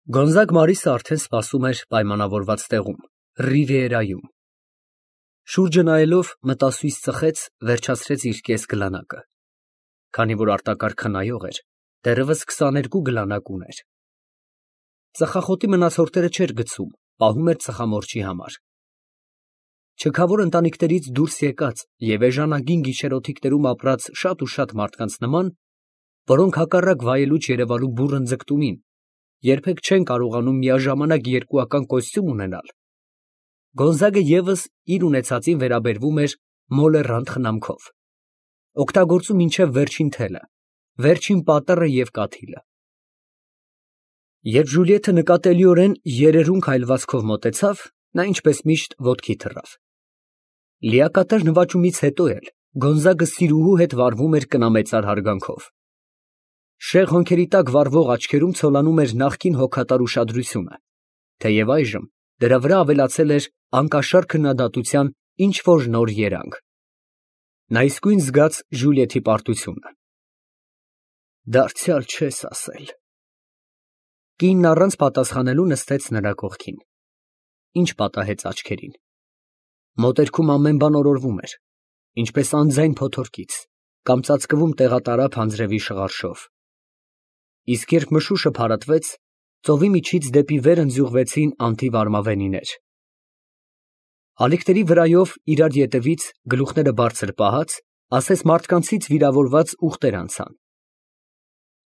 Գոնզագ Մարիսը արդեն սպասում էր պայմանավորված տեղում, Ռիվիերայում։ Շուրջը նայելով, մտասույզ ծխեց, վերջացրեց իր կես գլանակը։ Քանի որ արտակարգ խնայող էր, դեռևս 22 գլանակ ուներ։ Ծխախոտի մնացորդները չէր գցում, պահում էր ծխամորճի համար։ Չքավոր ընտանիքներից դուրս եկած և էժանագին գիշերօթիկներում ապրած շատ ու շատ մարդկանց նման, որոնք հակառակ վայելուչ Երևանու բուռն ձգտումին երբեք չեն կարողանում միաժամանակ երկուական կոստյում ունենալ, Գոնզագը ևս իր ունեցածին վերաբերվում էր մոլեռանդ խնամքով, օգտագործում մինչև վերջին թելը, վերջին պատեռը և կաթիլը։ Երբ Ժուլիեթը նկատելիորեն երերուն քայլվածքով մոտեցավ, նա ինչպես միշտ ոտքի թռավ։ Լիակատար նվաճումից հետո էլ Գոնզագը սիրուհու հետ վարվում էր կնամեծար հարգանքով։ Շեղ հոնքերի տակ վառվող աչքերում ցոլանում էր նախկին հոգատար ուշադրությունը, թեև այժմ դրա վրա ավելացել էր անկաշար քննադատության ինչ֊որ նոր երանգ։ Նա իսկույն զգաց Ժուլիեթի պարտությունը։ Դարձյալ չես ասել։ Կինն առանց պատասխանելու նստեց նրա կողքին։ Ինչ պատահեց աչքերին։ Մոտերքում ամեն բան օրորվում էր, ինչպես անձայն փոթորկից կամ ծածկվում տեղատարափ անձրևի շղարշով։ Իսկ երբ մշուշը փարատվեց, ծովի միջից դեպի վեր ընձյուղվեցին անթիվ արմավենիներ։ Ալիքների վրայով իրար ետևից, գլուխները բարձր պահած, ասես մարդկանցից վիրավորված ուղտեր անցան։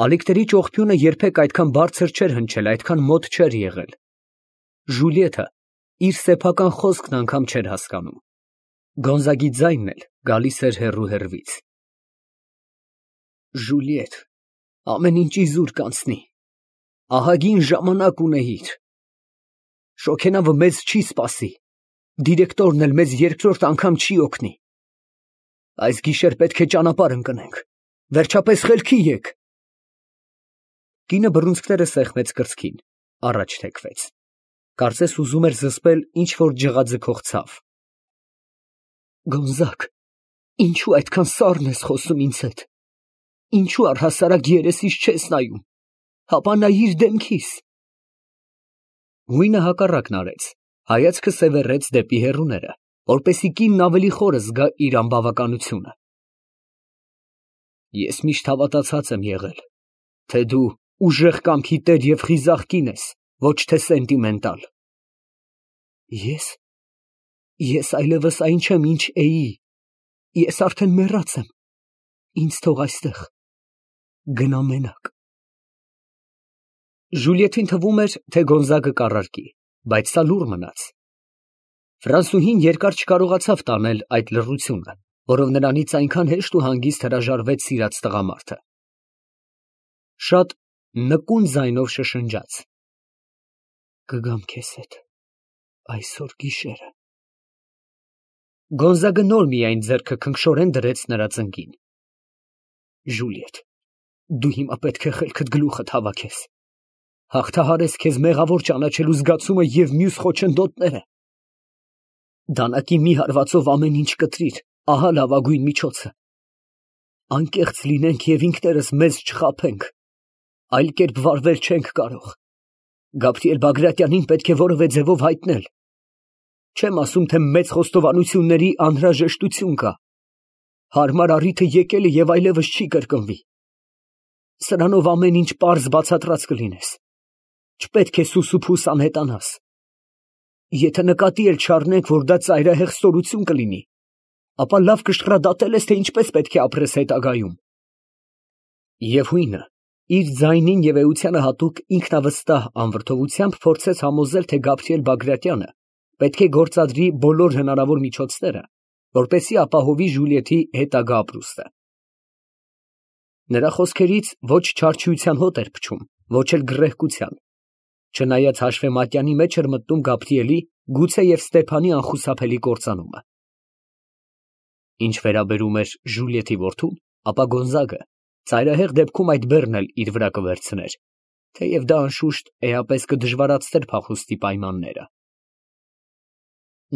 Ալիքների ճողփյունը երբեք այդքան բարձր չէր հնչել, այդքան մոտ չէր եղել։ Ժուլիեթը իր սեփական խոսքն անգամ չէր հասկանում։ Գոնզագի ձայնն էլ գալիս էր հեռու հեռվից։ Ժուլիեթ, ամեն ինչ իզուր կանցնի, ահագին ժամանակ ունեիր։ Շոգենավը մեզ չի սպասի, դիրեկտորն էլ մեզ երկրորդ անգամ չի օգնի։ Այս գիշեր պետք է ճանապարհ ընկնենք, վերջապես խելքի եկ։ Կինը բռունցքները սեղմեց կրծքին, առաջ թեքվեց, կարծես ուզում էր զսպել ինչ֊որ ջղաձգող ցավ։ Գոնզագ, ինչու այդքան սառն ես խոսում ինձ հետ։ Ինչու առհասարակ երեսիս չես նայում, հապա նայիր դեմքիս։ Գույնը հակառակն արեց, հայացքը սևեռեց դեպի հեռուները, որպեսզի կինն ավելի խորը զգա իր անբավականությունը։ Ես միշտ հավատացած եմ եղել, թե դու ուժեղ կամքի տեր և խիզախ կին ես, ոչ թե սենտիմենտալ։ Ես այլևս այն չեմ, ինչ էի, ես արդեն մեռած եմ, ինձ թող այստեղ, գնա մենակ։ Ժուլիեթին թվում էր, թե Գոնզագը կառարկի, բայց սա լուռ մնաց։ Ֆրանսուհին երկար չկարողացավ տանել այդ լռությունը, որով նրանից այնքան հեշտ ու հանգիստ հրաժարվեց սիրած տղամարդը։ Շատ նկուն ձայնով շշնջաց. Կգամ քեզ հետ այսօր գիշերը։ Գոնզագը նոր միայն ձեռքը քնքշորեն դրեց նրա ծնկին։ Ժուլիեթ, դու հիմա պետք է խելքդ գլուխդ հավաքես, հաղթահարես քեզ մեղավոր ճանաչելու զգացումը և մյուս խոչընդոտները։ Դանակի մի հարվածով ամեն ինչ կտրիր, ահա լավագույն միջոցը։ Անկեղծ լինենք և ինքներս մեզ չխաբենք, այլ կերպ վարվել չենք կարող։ Գաբրիել Բագրատյանին պետք է որևէ ձևով հայտնել։ Չեմ ասում, թե մեծ խոստովանությունների անհրաժեշտություն կա։ Հարմար առիթը եկել է և այլևս չի կրկնվի։ Սրանով ամեն ինչ պարզ բացատրած կլինես։ Չպետք է սուսուփուս անհետանաս։ Եթե նկատի էլ չառնենք, որ դա ծայրահեղ ստորություն կլինի, ապա լավ կշռադատել ես, թե ինչպես պետք է ապրես հետագայում։ Եվ հույնը իր ձայնին և էությանը հատուկ ինքնավստահ անվրդովությամբ փորձեց համոզել, թե Գաբրիել Բագրատյանը պետք է գործադրի բոլոր հնարավոր միջոցները, որպեսզի ապահովի Ժուլիեթի հետագա ապրուստը։ Նրա խոսքերից ոչ չարչարության հոտ էր փչում, ոչ էլ գռեհկության, չնայած հաշվեմատյանի մեջ էր մտնում Գաբրիելի, գուցե և Ստեփանի անխուսափելի կործանումը։ Ինչ վերաբերում էր Ժուլիեթի որդուն, ապա Գոնզագը ծայրահեղ դեպքում այդ բեռն էլ իր վրա կվերցներ, թեև դա անշուշտ էապես կդժվարացներ փախուստի պայմանները։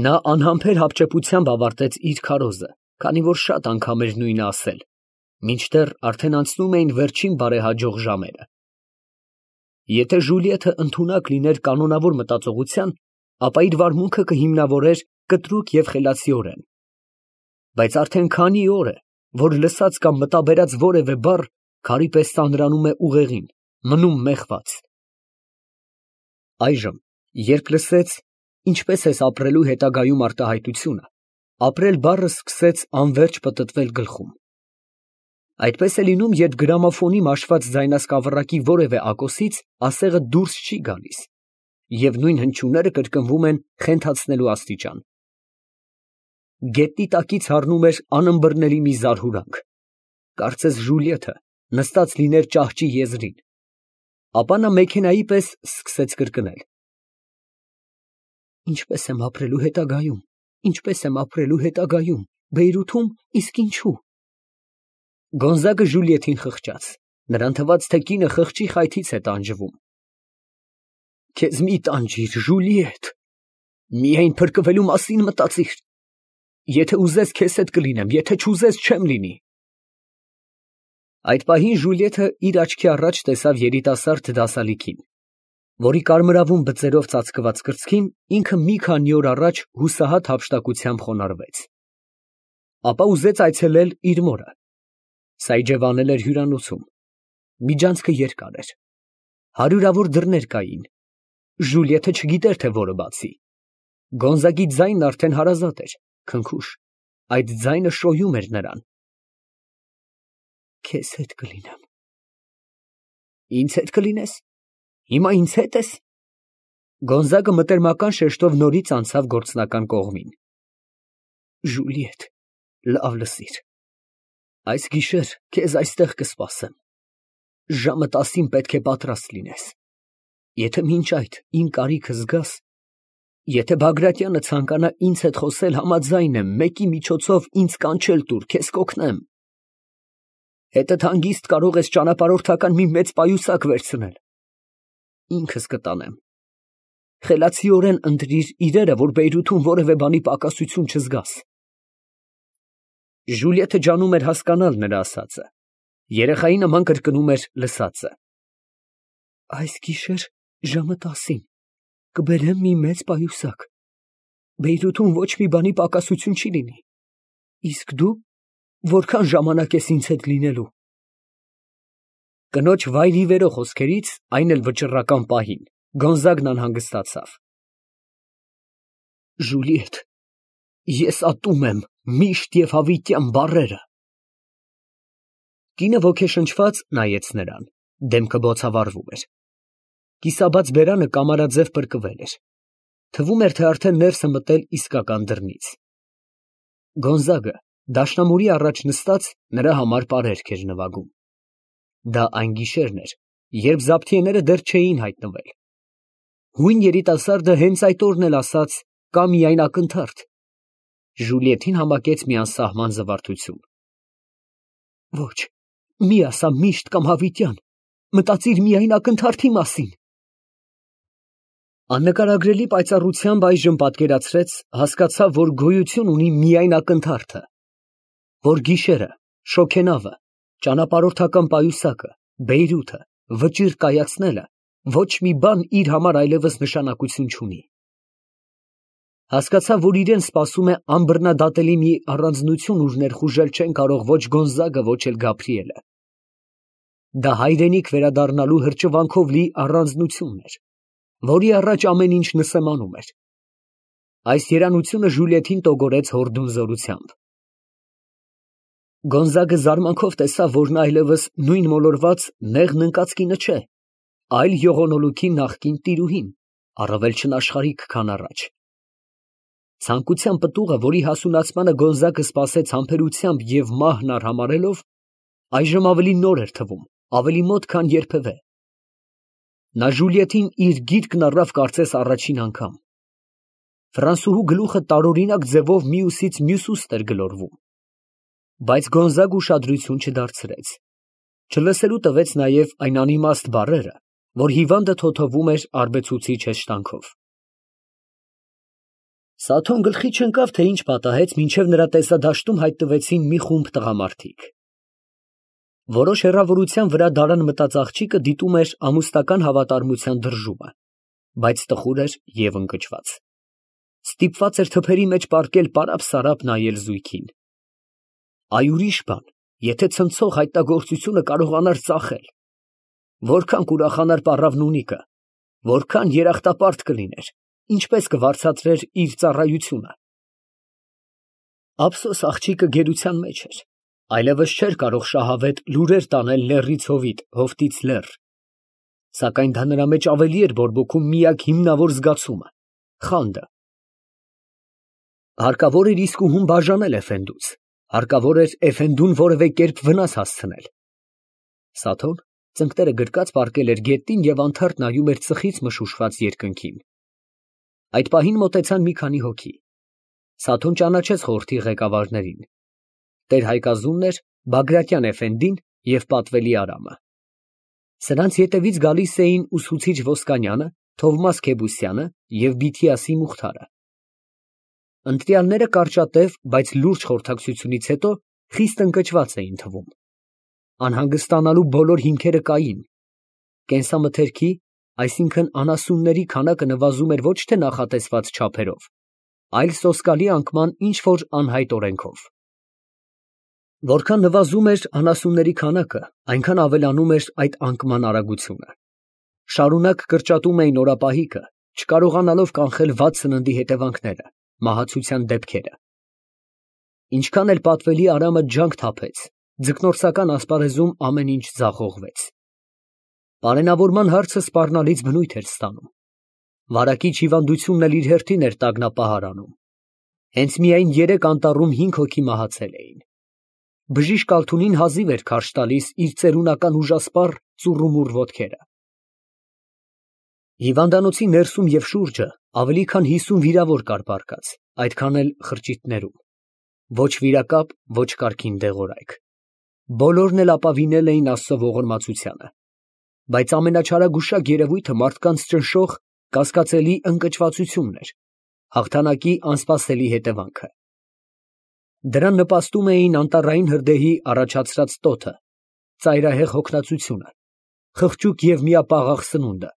Նա անհամբեր հապճեպությամբ ավարտեց իր քարոզը, քանի որ շատ անգամ էր նույնը ասել, մինչդեռ արդեն անցնում էին վերջին բարեհաջող ժամերը։ Եթե Ժուլիետը ընդունակ լիներ կանոնավոր մտածողության, ապա իր վարմունքը կհիմնավորեր կտրուկ և խելացիորեն։ Բայց արդեն քանի օր է, որ լսած կամ մտաբերած որևէ բառ քարի պես ծանրանում է ուղեղին, մնում մեղված։ Այժմ, երբ լսեց «ինչպես ես ապրելու հետագայում» արտահայտությունը, ապրել բառը սկսեց անվերջ պտտվել գլխում։ Այդպես է լինում, երբ գրամոֆոնի մաշված ձայնասկավառակի որևէ ակոսից ասեղը դուրս չի գալիս, և նույն հնչյունները կրկնվում են խենթացնելու աստիճան։ Գետնի տակից հառնում էր անըմբռնելի մի զարհուրանք, կարծես Ժուլիետը նստած լիներ ճահճի եզրին, ապա նա մեքենայի պես սկսեց կրկնել. «Ինչպես եմ ապրելու հետագայում, ինչպես եմ ապրելու հետագայում, Բեյրութում, իսկ ինչու»։ Գոնզագը Ժուլիետին խղճաց, նրան թվաց, թե կինը խղճի խայթից է տանջվում։ «Քեզ մի տանջիր, Ժուլիետ, միայն փրկվելու մասին մտածիր։ Եթե ուզես, քեզ հետ կլինեմ, եթե չուզես, չեմ լինի»։ Այդ պահին Ժուլիետը իր աչքի առաջ տեսավ երիտասարդ դասալիքին, որի կարմրավուն բծերով ծածկված կրծքին ինքը մի քանի օր առաջ հուսահատ հափշտակությամբ խոնարհվեց։ Ապա ուզեց այցելել իր մորը։ Սա իջևանել էր հյուրանոցում։ Միջանցքը երկար էր։ Հարյուրավոր դռներ կային։ Ժուլիետը չգիտեր, թե որը բացի։ Գոնզագի ձայնն արդեն հարազատ էր, քնքուշ։ Այդ ձայնը շոյում էր նրան։ Քեզ հետ կլինեմ։ Ինձ հետ կլինես։ Հիմա ինձ հետ ես։ Գոնզագը մտերմական շեշտով նորից անցավ գործնական կողմին։ Ժուլիետ, լավ լսիր։ Այս գիշեր քեզ այստեղ կսպասեմ։ Ժամը 10-ին պետք է պատրաստ լինես։ Եթե մինչ այդ իմ կարիքը զգաս, եթե Բագրատյանը ցանկանա ինձ հետ խոսել, համաձայն եմ մեկի միջոցով ինձ կանչել տուր, քեզ կօգնեմ։ Հետդ հանգիստ կարող ես ճանապարհորդական մի մեծ պայուսակ վերցնել։ Ինքս կտանեմ։ Խելացիորեն ընտրիր իրերը, որ Բեյրութում որևէ բանի պակասություն չզգաս։ Ժուլիետը ջանում էր հասկանալ նրա ասածը։ Երեխայի նման կրկնում էր լսածը։ Այս գիշեր ժամը 10-ին կբերեմ մի մեծ պայուսակ։ Բեյրութում ոչ մի բանի պակասություն չի լինի։ Իսկ դու որքան ժամանակ ես ինձ հետ լինելու։ Կնոջ վայրիվերո խոսքերից, այն էլ վճռական պահին, Գոնզագն անհանգստացավ։ Ժուլիետ, ես ատում եմ միշտ և հավիտյան բառերը։ Կինը ոգեշնչված նայեց նրան, դեմքը բոցավառվում էր։ Կիսաբաց բերանը կամարաձև պրկվել էր։ Թվում էր, թե արդեն ներս է մտել իսկական դռնից։ Գոնզագը դաշնամուրի առաջ նստած նրա համար պարերք էր նվագում։ Դա այն գիշերն էր, երբ զաբթիեները դեռ չէին հայտնվել։ Հույն երիտասարդը հենց այդ օրն էլ ասաց «կա միայն ակնթարթ»։ Ժուլիետին համակեց մի անսահման զվարթություն։ Ոչ, մի ասա միշտ կամ հավիտյան, մտածիր միայն ակնթարթի մասին։ Աննկարագրելի պայծառությամբ այժմ պատկերացրեց, հասկացավ, որ գոյություն ունի միայն ակնթարթը, որ գիշերը, շոգենավը, ճանապարհորդական պայուսակը, Բեյրութը, վճիռ կայացնելը ոչ մի բան իր համար այլևս նշանակություն չունի։ Հասկացավ, որ իրեն սպասում է անբռնադատելի մի առանձնություն, ուր ներխուժել չեն կարող ոչ Գոնզագը, ոչ էլ Գաբրիելը։ Դա հայրենիք վերադառնալու հրճվանքով լի առանձնությունն էր, որի առաջ ամեն ինչ նսեմանում էր։ Այս երանությունը Ժուլիետին տոգորեց հորդուն զորությամբ։ Գոնզագը զարմանքով տեսավ, որ նա այլևս նույն մոլորված նեղն ընկած կինը չէ, այլ յողոնոլուքի նախկին տիրուհին, առավել չնաշխարհիկ, քան առաջ։ Ցանկության պտուղը, որի հասունացմանը Գոնզագը սպասեց համբերությամբ և մահն արհամարհելով, այժմ ավելի նոր էր թվում, ավելի մոտ, քան երբևէ։ Նա Ժուլիետին իր գիրկն առավ կարծես առաջին անգամ։ Ֆրանսուհու գլուխը տարօրինակ ձևով մյուսից մյուս ուստր գլորվում։ Բայց Գոնզագը ուշադրություն չդարձրեց։ Չլսելու տվեց նաև այն անիմաստ բառերը, որ հիվանդը թոթովում էր արբեցուցիչ հեշտանքով։ Սաթոն գլխի չընկավ, թե ինչ պատահեց, մինչև նրա տեսադաշտում հայտնվեցին մի խումբ տղամարդիկ։ Որոշ հեռավորության վրա դարան մտած աղջիկը դիտում էր ամուսնական հավատարմության դրժումը, բայց տխուր էր և ընկճված. ստիպված էր թփերի մեջ պառկել պարապ֊սարապ նայել զույգին։ Այ ուրիշ բան, եթե ցնցող հայտնագործությունը կարողանար ծախել, որքան կուրախանար պառավնունիկը, որքան երախտապարտ կլիներ, ինչպես կվարձատրեր իր ծառայությունը։ Ափսոս աղջիկը գերության մեջ էր, այլևս չէր կարող շահավետ լուրեր տանել լեռից հովիտ, հովտից լեռ, սակայն դա նրա մեջ ավելի էր բորբոքում միակ հիմնավոր զգացումը՝ խանդը։ Հարկավոր էր իսկուհուն բաժանել էֆենդուց, հարկավոր էր էֆենդուն որևէ կերպ վնաս հասցնել։ Սաթոն ծնկները գրկած պառկել էր գետնին և անթարթ նայում էր ծխից մշուշված երկնքին։ Այդ պահին մոտեցան մի քանի հոգի։ Սաթոն ճանաչեց խորհրդի ղեկավարներին։ Տեր Հայկազունն էր, Բագրատյան էֆենդին և պատվելի Արամը։ Սրանց ետևից գալիս էին ուսուցիչ Ոսկանյանը, Թովմաս Քեբուսյանը և Բիթիասի Մուխթարը։ Ընտրյալները կարճատև, բայց լուրջ խորհրդակցությունից հետո խիստ ընկճված էին թվում։ Անհանգստանալու բոլոր հիմքերը կային։ Կենսամթերքի, այսինքն անասունների քանակը նվազում էր ոչ թե նախատեսված չափերով, այլ սոսկալի անկման ինչ֊որ անհայտ օրենքով։ Որքան նվազում էր անասունների քանակը, այնքան ավելանում էր այդ անկման արագությունը։ Շարունակ կրճատում էին օրապահիկը, չկարողանալով կանխել վատ սննդի հետևանքները, մահացության դեպքերը։ Ինչքան էլ պատվելի Արամը ջանք թափեց, ձկնորսական ասպարեզում ամեն ինչ ձախողվեց։ Պարենավորման հարցը սպառնալից բնույթ էր ստանում։ Վարակիչ հիվանդությունն էլ իր հերթին էր տագնապահարանում։ Հենց միայն 3 անտառում 5 հոգի մահացել էին։ Բժիշկ Ալթունին հազիվ էր քարշ տալիս իր ծերունական ուժասպառ ծուռումուռ ոտքերը։ Հիվանդանոցի ներսում և շուրջը ավելի քան 50 վիրավոր կար պառկած, այդքան էլ խրճիթներում։ Ոչ վիրակապ, ոչ կարգին դեղորայք։ Բոլորն էլ ապավինել էին Աստծո ողորմածությանը։ Բայց ամենաչարագուշակ երևույթը մարդկանց ճնշող, կասկածելի ընկճվածությունն էր, հաղթանակի անսպասելի հետևանքը։ Դրան նպաստում էին անտառային հրդեհի առաջացրած տոթը, ծայրահեղ հոգնածությունը, խղճուկ և միապաղաղ սնունդը,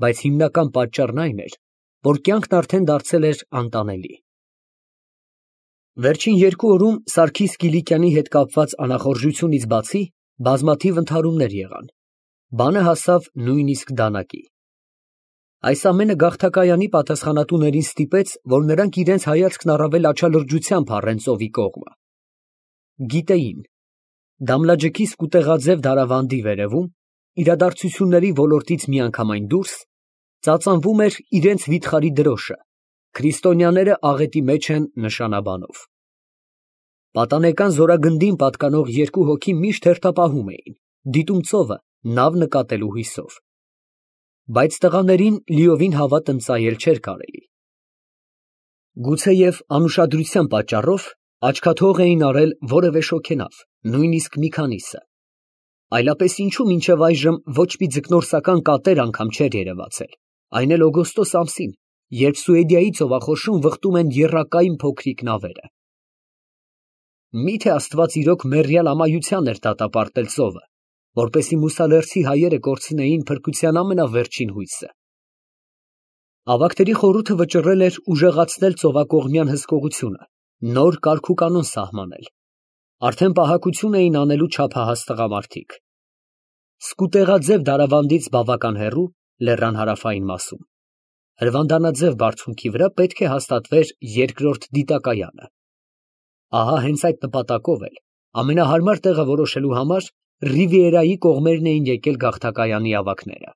բայց հիմնական պատճառն այն էր, որ կյանքն արդեն դարձել էր անտանելի։ Վերջին 2 օրում Սարգիս Կիլիկյանի հետ կապված անախորժությունից բացի բազմաթիվ ընդհարումներ եղան, բանը հասավ նույնիսկ դանակի։ Այս ամենը գաղթակայանի պատասխանատուներին ստիպեց, որ նրանք իրենց հայացքն առավել աչալրջությամբ առեն ծովի կողմը։ Գիտեին, Դամլաջկի սկուտեղաձև դարավանդի վերևում, իրադարձությունների ոլորտից միանգամայն դուրս, ծածանվում էր իրենց վիթխարի դրոշը, քրիստոնյաները աղետի մեջ են նշանաբանով։ Պատանեկան զորագնդին պատկանող 2 հոգի միշտ հերթապահում էին, դիտում ծովը նավ նկատելու հույսով։ Բայց տղաներին լիովին հավատ ընծայել չէր կարելի։ Գուցեև անուշադրության պատճառով աչքաթող էին արել որևէ շոգենավ, նույնիսկ մի քանիսը։ Այլապես ինչու մինչև այժմ ոչ մի ձկնորսական կատեր անգամ չէր երևացել, այն էլ օգոստոս ամսին, երբ Սուեդիայի ծովախորշում վխտում են եռակայն փոքրիկ նավերը։ Միթե Աստված իրոք մեռյալ ամայության էր դատապարտել ծովը, որպեսզի Մուսալերցի հայերը կորցնեին փրկության ամենավերջին հույսը։ Ավագների խորհուրդը վճռել էր ուժեղացնել ծովակողմյան հսկողությունը, նոր կարգուկանոն սահմանել։ Արդեն պահակություն էին անելու չափահաս տղամարդիկ։ Սկուտեղաձև դարավանդից բավական հեռու, լեռան հարավային մասում, հրվանդանաձև բարձունքի վրա պետք է հաստատվեր երկրորդ դիտակայանը։ Ահա հենց այդ նպատակով էլ ամենահարմար տեղը որոշելու համար Ռիվիերայի կողմերն էին եկել գաղթակայանի ավագները։